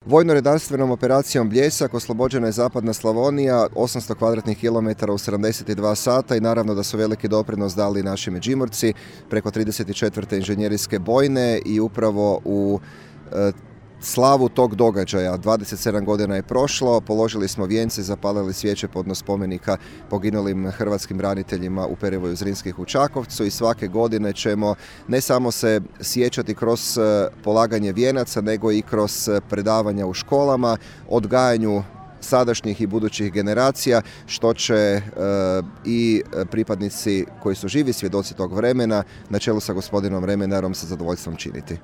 Vojno-redarstvenom operacijom Bljesak oslobođena je zapadna Slavonija, 800 kvadratnih kilometara u 72 sata i naravno da su veliki doprinos dali naši Međimurci preko 34. inženjerijske bojne i upravo u slavu tog događaja. 27 godina je prošlo, položili smo vijence, zapalili svijeće podno spomenika poginulim hrvatskim braniteljima u Perivoju Zrinskih u Čakovcu i svake godine ćemo ne samo se sjećati kroz polaganje vijenaca, nego i kroz predavanja u školama, odgajanju sadašnjih i budućih generacija, što će i pripadnici koji su živi svjedoci tog vremena na čelu sa gospodinom Remenarom sa zadovoljstvom činiti.